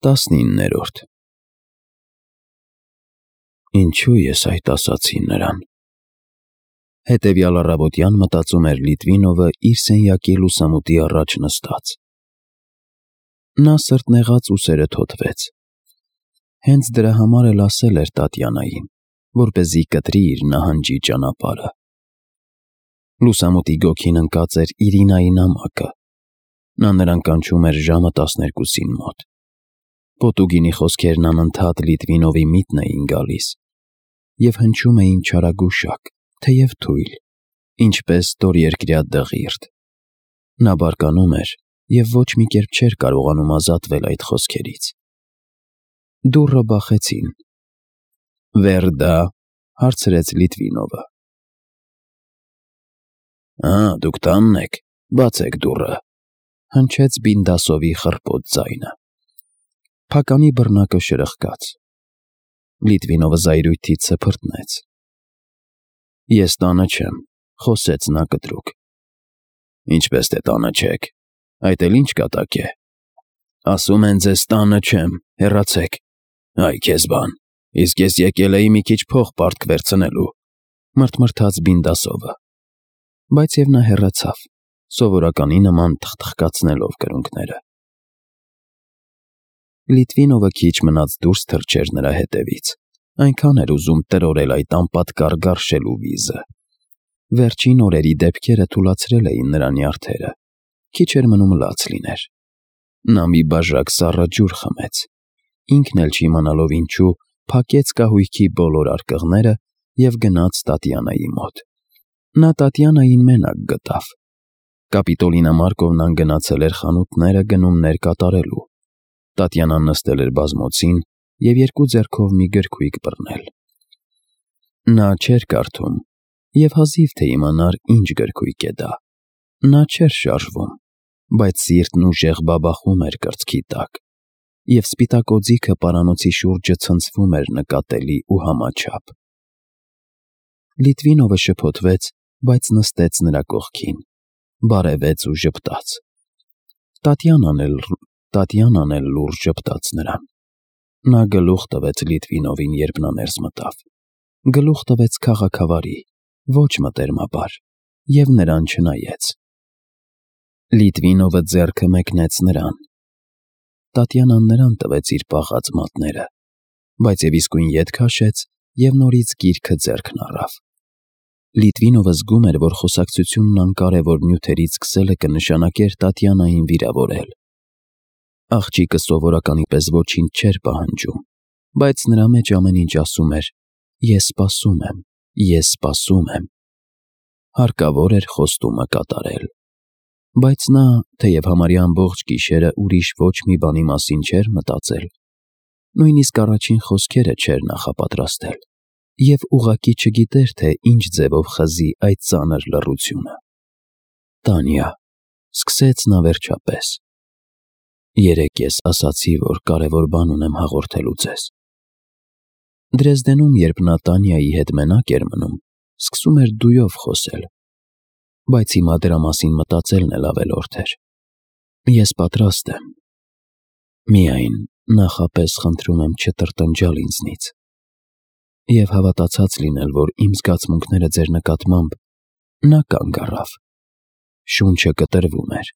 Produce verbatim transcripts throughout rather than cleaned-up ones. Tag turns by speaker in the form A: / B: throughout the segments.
A: Տասնիններորդ Ինչու ես այդ ասացի նրան։ Հետևյալ առավոտյան մտածում էր Լիտվինովը իր սենյակի լուսամուտի առաջ նստած։ Նա սրտնեղած ուսերը թոթվեց։ Հենց դրա համար էլ ասել էր Տատյանային, որպեսզի կտրի իր նահանջի ճանապարհը։ Լուսամուտի գոգին ընկած էր Իրինայի նամակը։ Նա նրան կանչում էր ժամը տասներկուսին մոտ։ Պոտուգինի խոսքերն անընդհատ Լիտվինովի միտն էին գալիս և հնչում էին չարագուշակ, թեև թույլ, ինչպես ստորերկրյա դղիրդ։ Նա բարկանում էր և ոչ մի կերպ չէր կարողանում ազատվել այդ խոսքերից։ Դուռը բախեցին։ «Վերդա», հարցրեց Լիտվինովը։ «Ա, դուք տանն եք, բացեք դուռը», հնչեց Բինդասովի խռպոտ ձայնը։ Փականի բռնակը շրխկաց։ Լիտվինովը զայրույթից սփռտնեց։ «Ես տանը չեմ», խոսեց նա կտրուկ։ «Ինչպես թե տանը չեք, այդ էլ ինչ կատակ է։ Ասում են ձեզ տանը չեմ, հեռացեք։ Այ քեզ բան, իսկ ես եկել էի մի քիչ փող պարտք վերցնելու», մռթմռթաց Բինդասովը։ Բայց և նա հեռացավ, սովորականի նման թխթխկացնելով կրունկները։ Լիտվինովը քիչ մնաց դուրս թռչեր նրա հետևից, այնքան էր ուզում տրորել այդ անպատկառ գարշելու վիզը։ Վերջին օրերի դեպքերը թուլացրել էին նրա նյարդերը, քիչ էր մնում լաց լիներ։ Նա մի բաժակ սառը ջուր խմեց, ինքն էլ չիմանալով ինչու, փակեց կահույքի բոլոր արկղները և գնաց Տատյանայի մոտ։ Նա Տատյանային մենակ գտավ։ Կապիտոլինա Մարկովնան գնացել էր խանութները գնումներ կատարելու։ Տատյանան նստել էր բազմոցին և երկու ձեռքով մի գրքույկ բռնել։ Նա չէր կարդում և հազիվ թե իմանար ինչ գրքույկ է դա։ Նա չէր շարժվում, բայց սիրտն ուժեղ բաբախում էր կրծքի տակ, և սպիտակ օձիքը պարանոցի շուրջը ցնցվում էր նկատելի ու համաչափ։ Լիտվինովը շփոթվեց, բայց նստեց նրա կողքին, բարևեց ու ժպտաց։ Տատյանան էլ Տատյանան էլ լուրջ ժպտաց նրան։ Նա գլուխ տվեց Լիտվինովին, երբ նա ներս մտավ։ Գլուխ տվեց քաղաքավարի, ոչ մտերմաբար, և նրան չնայեց։ Լիտվինովը ձեռքը մեկնեց նրան։ Տատյանան նրան տվեց իր պաղած մատները, բայց և իսկույն ետ քաշեց և նորից գիրքը ձեռքն առավ։ Լիտվինովը զգում էր, որ խոսակցությունն անկարևոր նյութերից սկսելը կնշանակեր Տատյանային վիրավորել։ Աղջիկը սովորականի պես ոչինչ չէր պահանջում, բայց նրա մեջ ամեն ինչ ասում էր. «Ես սպասում եմ, ես սպասում եմ»։ Հարկավոր էր խոստումը կատարել։ Բայց նա, թեև համարյա ամբողջ գիշերը ուրիշ ոչ մի բանի մասին չէր մտածել, նույնիսկ առաջին խոսքերը չէր նախապատրաստել և ուղղակի չգիտեր, թե ինչ ձևով խզի այդ ծանր լռությունը։ «Տանյա», սկսեց նա վերջապես, «երեկ ես ասացի, որ կարևոր բան ունեմ հաղորդելու ձեզ»։ Դրեզդենում, երբ նա Տանյայի հետ մենակ էր մնում, սկսում էր դույով խոսել, բայց հիմա դրա մասին մտածելն էլ ավելորդ էր։ «Ես պատրաստ եմ։ Միայն նախապես խնդրում եմ չտրտնջալ ինձնից և հավատացած լինել, որ իմ զգացմունքները ձեր նկատմամբ»։ Նա կանգ առավ։ Շունչը կտրվում էր։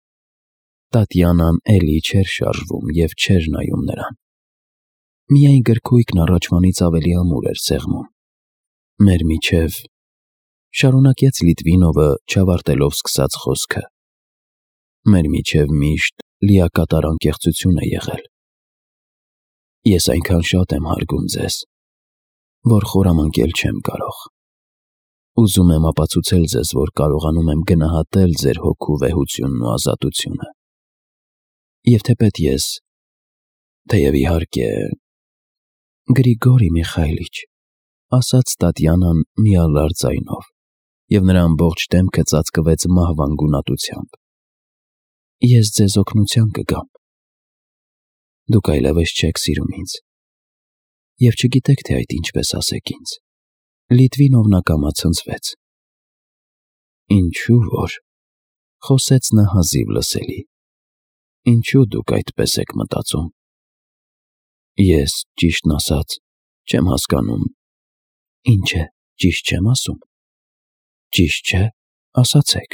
A: Տատյանան էլի չէր շարժվում և չէր նայում նրան։ Միայն գրքույկն առաջվանից ավելի ամուր էր սեղմում։ «Մեր միջև», շարունակեց Լիտվինովը, չավարտելով սկսած խոսքը, «մեր միջև միշտ լիակատար անկեղծություն է եղել։ Ես այնքան շատ եմ հարգում ձեզ, որ խորամանկել չեմ կարող։ Ուզում եմ ապացուցել ձեզ, որ կարողանում եմ գնահատել ձեր հոգու վեհությունն ու ազատությունը։ Եվ թեպետ ես, թեև իհարկե…» «Գրիգորի Միխայիլիչ», ասաց Տատյանան միալար ձայնով, և նրա ամբողջ դեմքը ծածկվեց մահվան գունատությամբ, «ես ձեզ օգնության կգամ։ Դուք այլևս չեք սիրում ինձ և չգիտեք, թե այդ ինչպես ասեք ինձ»։ Լիտվինովն ակամա ցնցվեց։ «Ինչու որ…» խոսեց նա հազիվ լսելի, «ինչու դուք այդպես եք մտածում»։ Ես, ճիշտն ասած, չեմ հասկանում։ Ինչ է, ճիշտ չեմ ասում։ Ճիշտ չէ, ասացեք։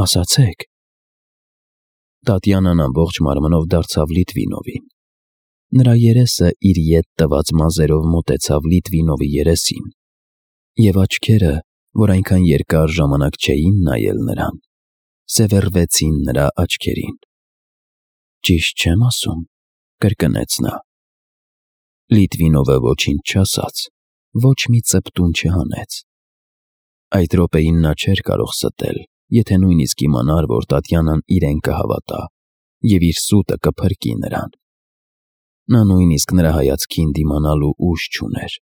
A: Ասացեք։ Տատյանան ամբողջ մարմնով դարձավ Լիտվինովին։ Նրա երեսը իր ետ տված մազերով մոտեցավ Լիտվինովի երեսին, և աչքերը, որ այնքան երկար ժամանակ չէին նայել նրան, սևեռվեցին նրա աչքերին։ Ճիշտ չեմ ասում, կրկնեց նա։ Լիտվինովը ոչինչ չասաց, ոչ մի ծպտուն չհանեց։ Այդ րոպեին նա չէր կարող ստել, եթե նույնիսկ իմանար, որ Տատյանան իրեն կհավատա և իր սուտը կփրկի նրան։ Նա նույնիսկ նրա հայացքին դիմանալու ուժ չուներ։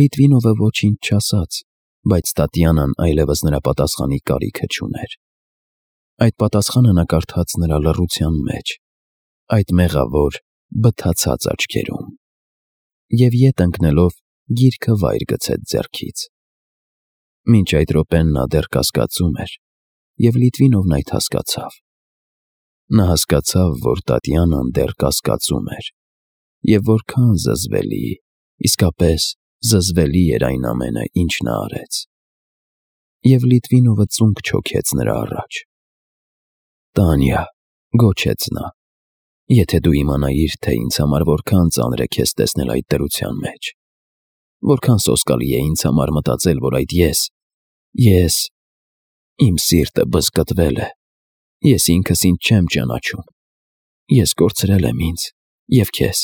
A: Լիտվինովը ոչինչ չասաց, բայց Տատյանան այլևս նրա պատասխանի կարիքը չուներ։ Այդ պատասխանը նա կարդաց նրա լռության մեջ, այդ մեղավոր, բթացած աչքերում, և ետ ընկնելով գիրքը վայր գցեց ձեռքից։ Մինչ այդ րոպեն նա դեռ կասկածում էր, և Լիտվինովն այդ հասկացավ։ Նա հասկացավ, որ Տատյանան դեռ կասկածում էր, և որքան զզվելի, իսկապես զզվելի էր այն ամենը, ինչ նա արեց։ Եվ Լիտվինովը ծունկ չոքեց նրա առաջ։ «Տանյա», գոչեց նա, «եթե դու իմանայիր, թե ինձ համար որքան ծանր է քեզ տեսնել այդ դրության մեջ, որքան սոսկալի է ինձ համար մտածել, որ այդ ես, ես… իմ սիրտը բզկտվել է, ես ինքս ինձ չեմ ճանաչում, ես կորցրել եմ ինձ, և քեզ,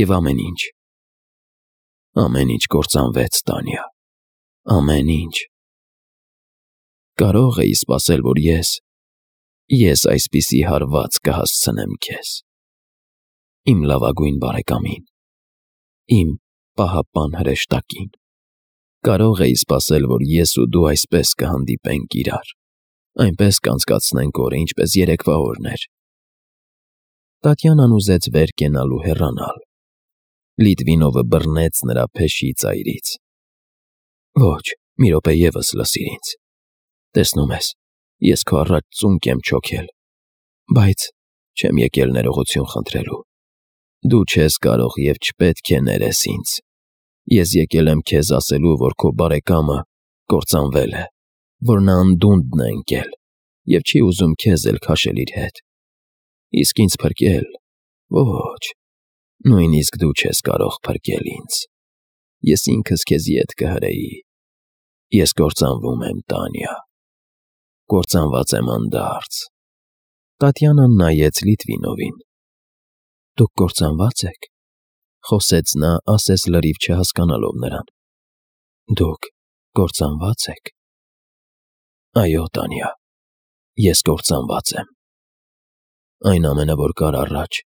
A: և ամեն ինչ… Ամեն ինչ կործանվեց, Տանյա, ամեն ինչ… Կարո՞ղ էի սպասել, որ ես… ես այսպիսի հարված կհասցնեմ քեզ… իմ լավագույն բարեկամին… իմ պահապան հրեշտակին… Կարո՞ղ էի սպասել, որ ես ու դու այսպես կհանդիպենք իրար, այնպես կանցկացնենք օրը, ինչպես երեկվա օրն էր»։ Տատյանան ուզեց վեր կենալ ու հեռանալ։ Լիտվինովը բռնեց նրա փեշի ծայրից։ «Ոչ, մի րոպե ևս լսիր ինձ… Տեսնում ես, ես քո առաջ ծունկ եմ չոքել, բայց չեմ եկել ներողություն խնդրելու։ Դու չես կարող և չպետք է ներես ինձ։ Ես եկել եմ քեզ ասելու, որ քո բարեկամը կործանվել է, որ նա անդունդն է ընկել և չի ուզում քեզ էլ քաշել իր հետ։ Իսկ ինձ փրկել… ոչ, նույնիսկ դու չես կարող փրկել ինձ… Ես ինքս քեզ ետ կհրեի… Ես կործանվում եմ, Տանյա… կործանված եմ անդարձ»։ Տատյանան նայեց Լիտվինովին։ «Դուք կործանվա՞ծ եք», խոսեց նա ասես լրիվ չհասկանալով նրան։ «Դուք կործանվա՞ծ եք»։ «Այո, Տանյա, ես կործանված եմ… Այն ամենը, որ կար առաջ,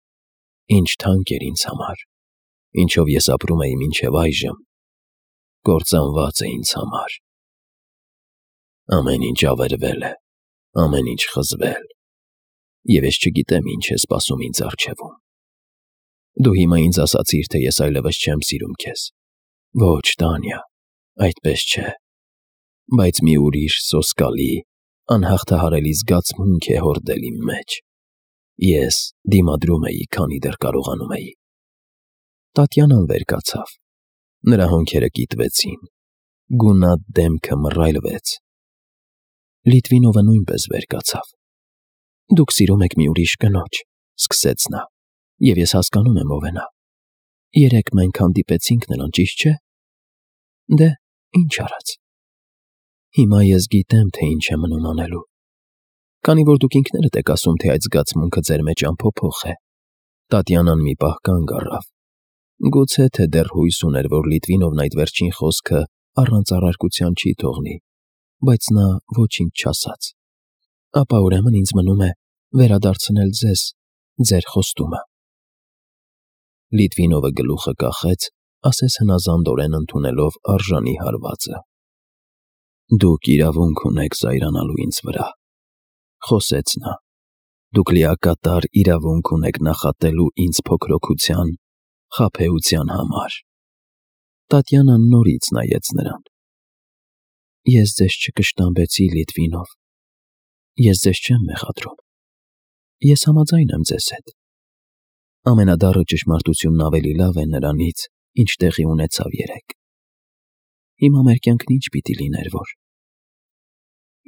A: ինչ թանկ էր ինձ համար, ինչով ես ապրում էի մինչև այժմ, կործանված է ինձ համար… Ամեն ինչ ավերվել է, ամեն ինչ խզվել, և ես չգիտեմ ինչ է սպասում ինձ առջևում… Դու հիմա ինձ ասացիր, թե ես այլևս չեմ սիրում քեզ… Ոչ, Տանյա, այդպես չէ… Բայց մի ուրիշ սոսկալի, անհաղթահարելի զգացմունք է հորդել իմ մեջ… Ես դիմադրում էի, քանի դեռ կարողանում էի»։ Տատյանան վեր կացավ։ Նրա հոնքերը կիտվեցին, գունատ դեմքը մռայլվեց։ Լիտվինովը նույնպես վեր կացավ։ «Դուք սիրում եք մի ուրիշ կնոջ», սկսեց նա, «և ես հասկանում եմ ով է նա… Երեկ մենք հանդիպեցինք նրան, ճիշտ չէ… Դե, ինչ արած… Հիմա ես գիտեմ, թե ինչ է մնում անելու… Քանի որ դուք ինքներդ եք ասում, թե այդ զգացմունքը ձեր մեջ անփոփոխ է»։ Տատյանան մի պահ կանգ առավ։ Գուցե թե դեռ հույս ուներ, որ Լիտվինովն այդ վերջին խոսքը առանց առարկության չի թողնի, բայց նա ոչինչ չասաց։ «Ապա ուրեմն ինձ մնում է վերադարձնել ձեզ ձեր խոստումը»։ Լիտվինովը գլուխը կախեց, ասես հնազանդորեն ընդունելով արժանի հարվածը։ «Դուք իրավունք ունեք զայրանալու ինձ վրա», խոսեց նա։ «Դուք լիակատար իրավունք ունեք նախատելու ինձ փոքրօգության, խաբեության համար»։ Տատյանան նորից նայեց նրան։ «Ես ձեզ չկշտամբեցի, Լիտվինով, ես ձեզ չեմ մեղադրում… Ես համաձայն եմ ձեզ հետ… Ամենադառը ճշմարտությունն ավելի լավ է նրանից, ինչ տեղի ունեցավ երեկ։ Հիմա մեր կյանքն ինչ պիտի լիներ, որ։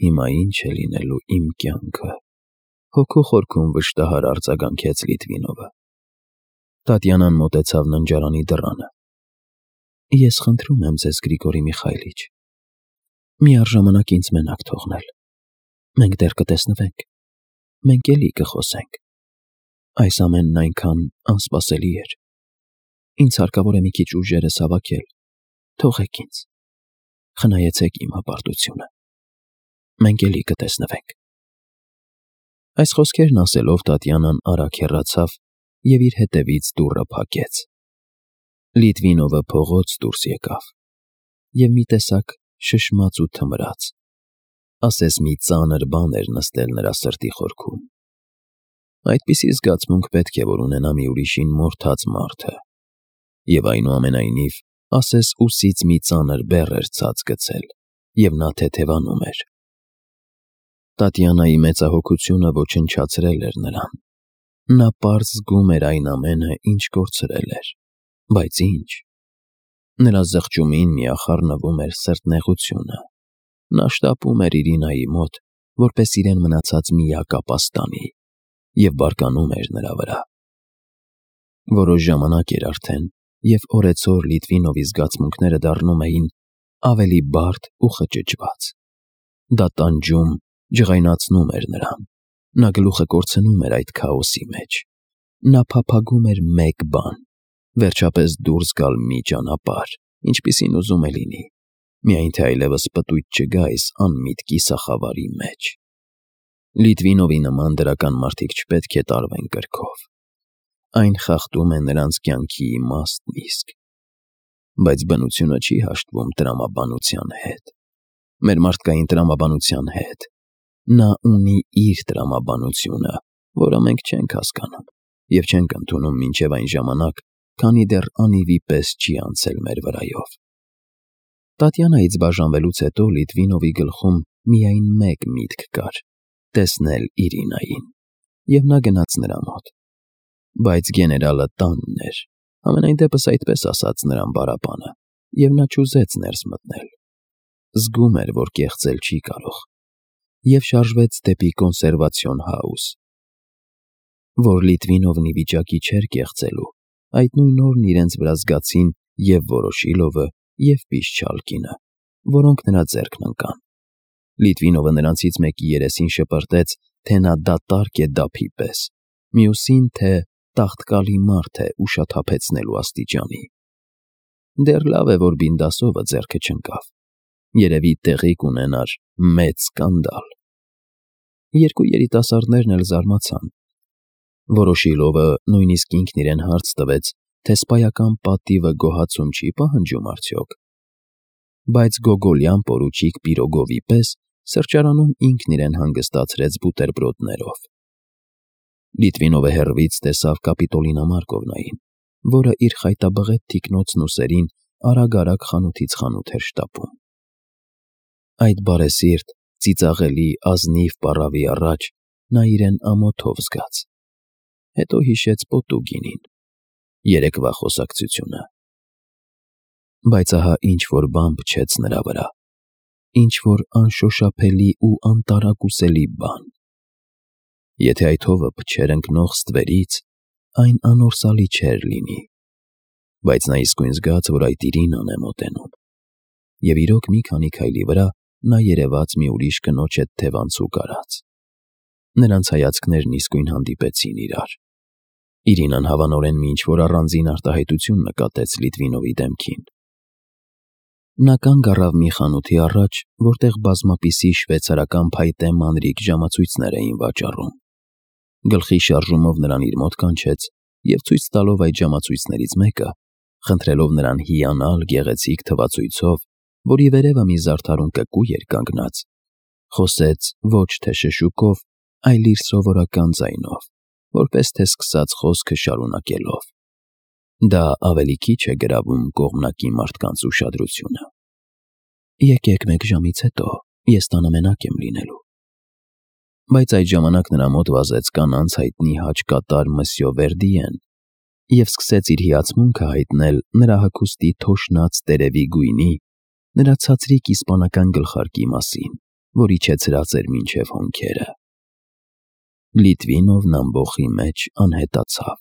A: Հիմա ինչ է լինելու իմ կյանքը, հոգու խորքում վշտահար արձագանքեց Լիտվինովը։ Տատյանան մոտեցավ ննջարանի դռանը։ Ես խնդրում եմ ձեզ, Գրիգորի Միխայլիչ, միառժամանակ ինձ մենակ թողնել։ Մենք դեռ կտեսնվենք, մենք էլի կխոսենք։ Այս ամենն այնքան անսպասելի էր։ Ինձ հարկավոր է մի քիչ ուժերս հավաքել։ Թողեք ինձ։ Խնայեցեք իմ հպարտությունը։ Մենք էլի կտեսնվենք։ Այս խոսքերն ասելով Տատյանան արագ հեռացավ և իր հետևից դուռը փակեց։ Լիտվինովը փողոց դուրս եկավ և մի տեսակ շշմաց ու թմրաց, ասես մի ծանր բան էր նստել նրա սրտի խորքում։ Այդպիսի զգացմունք պետք է որ ունենա մի ուրիշին մորթած մարդը, և այնուամենայնիվ, ասես ուսից մի ծանր բեռ էր ցած գցել, և նա թեթևանում էր։ Տատյանայի մեծահոգությունը ոչնչացրել էր նրան։ Նա պարզ զգում էր այն ամենը, ինչ կորցրել էր, բայց ինչ։ Նրա զղջումին միախառնվում էր սրտնեղությունը։ Նա շտապում էր Իրինայի մոտ, որպես իրեն մնացած միակ ապաստանի, և բարկանում էր նրա վրա։ Որոշ ժամանակ էր արդեն, և օրեցօր Լիտվինովի զգացմունքները դառնում էին ավելի բարդ ու խճճված։ Դա տանջում, ջղայնացնում էր նրան։ Նա գլուխը կորցնում էր այդ քաոսի մեջ։ Նա փափագում էր մեկ բան՝ վերջապես դուրս գալ մի ճանապարհ, ինչպիսին ուզում է լինի, միայն թե այլևս պտույտ չգա այս անմիտ կիսախավարի մեջ։ Լիտվինովի նման դրական մարդիկ չպետք է տարվեն կրքով։ Այն խախտում է նրանց կյանքի իմաստն իսկ։ Բայց բնությունը չի հաշտվում տրամաբանության հետ։ Մեր մարդկային տրամաբանության հետ։ Նա ունի իր տրամաբանությունը, որը մենք չենք հասկանում և չենք ընդունում մինչև այն ժամանակ, քանի դեռ անիվի պես չի անցել մեր վրայով։ Տատյանայից բաժանվելուց հետո Լիտվինովի գլխում միայն մեկ միտք կար՝ տեսնել Իրինային, և նա գնաց նրա մոտ։ Բայց գեներալը տանն էր, համենայն դեպս այդպես ասաց նրան պարապանը, և նա չուզեց ներս մտնել։ Զգում էր, որ կեղծել չի կարող, և շարժվեց դեպի կոնսերվացիոն հաուս։ Որ Լիտվինովն ի վիճակի չէր կեղծելու, այդ նույն օրն իրենց վրա զգացին և Վորոշիլովը, և Պիշչալկինը, որոնք նրա ձեռքն ընկան։ Լիտվինովը նրանցից մեկի երեսին շպրտեց, թե նա դատարկ է դափի պես, մյուսին, թե տաղտկալի մարդ է ուշաթափեցնելու աստիճանի։ Դեռ լավ է, որ Բինդասովը ձեռքը չընկավ։ Երևի տեղի կունենար մեծ սկանդալ։ Երկու երիտասարդներն էլ զարմացան։ Վորոշիլովը նույնիսկ ինքն իրեն հարց տվեց, թե սպայական պատիվը գոհացում չի պահանջում արդյոք։ Բայց գոգոլյան պորուչիկ Պիրոգովի պես սրճարանում ինքն իրեն հանգստացրեց բուտերբրոդներով։ Լիտվինովը հեռվից տեսավ Կապիտոլինա Մարկովնային, որը իր խայտաբղետ թիկնոցն ուսերին արագ-արագ խանութից խանութ էր շտապում։ Այդ բարեսիրտ, ծիծաղելի, ազնիվ պառավի առաջ նա իրեն ամոթով զգաց։ Հետո հիշեց Պոտուգինին, երեկվա խոսակցությունը։ Բայց ահա ինչ-որ բան փչեց նրա վրա, ինչ-որ անշոշափելի ու անտարակուսելի բան։ Եթե այդ հովը փչեր ընկնող ստվերից, այն անորսալի չէր լինի։ Բայց նա իսկույն զգաց, որ այդ Իրինան է մոտենում։ Եվ իրոք մի քանի քայլի վրա նա երևաց մի ուրիշ կնոջ հետ թևանցուկ արած։ Նրանց հայացքներն իսկույն հանդիպեցին իրար։ Իրինան հավանորեն մի ինչ-որ առանձին արտահայտություն նկատեց Լիտվինովի դեմքին։ Նա կանգ առավ մի խանութի առաջ, որտեղ բազմապիսի շվեյցարական փայտե մանրիկ ժամացույցներ էին վաճառում։ Գլխի շարժումով նրան իր մոտ կանչեց և ցույց տալով այդ ժամացույցներից մեկը, խնդրելով նրան հիանալ գեղեցիկ թվացույցով, որի վերևը մի զարդարուն կկու էր կանգնած, խոսեց ոչ թե շշուկով, այլ իր սովորական ձայնով, որպես թե սկսած խոսքը շարունակելով. «Դա ավելի քիչ է գրավում կողմնակի մարդկանց ուշադրությունը։ Եկեք մեկ ժամից հետո, ես տանը մենակ եմ լինելու»։ Բայց այդ ժամանակ նրա մոտ վազեց կանանց հայտնի հաճկատար Մսյո Վերդիեն, և սկսեց իր հիացմունքը հայտնել նրա հագուստի թոշնած տերևի գույնի, նրա ցածրիկ իսպանական գլխարկի մասին, որ իջեցրած էր մինչև հոնքերը։ Լիտվինովն ամբոխի մեջ անհետացավ։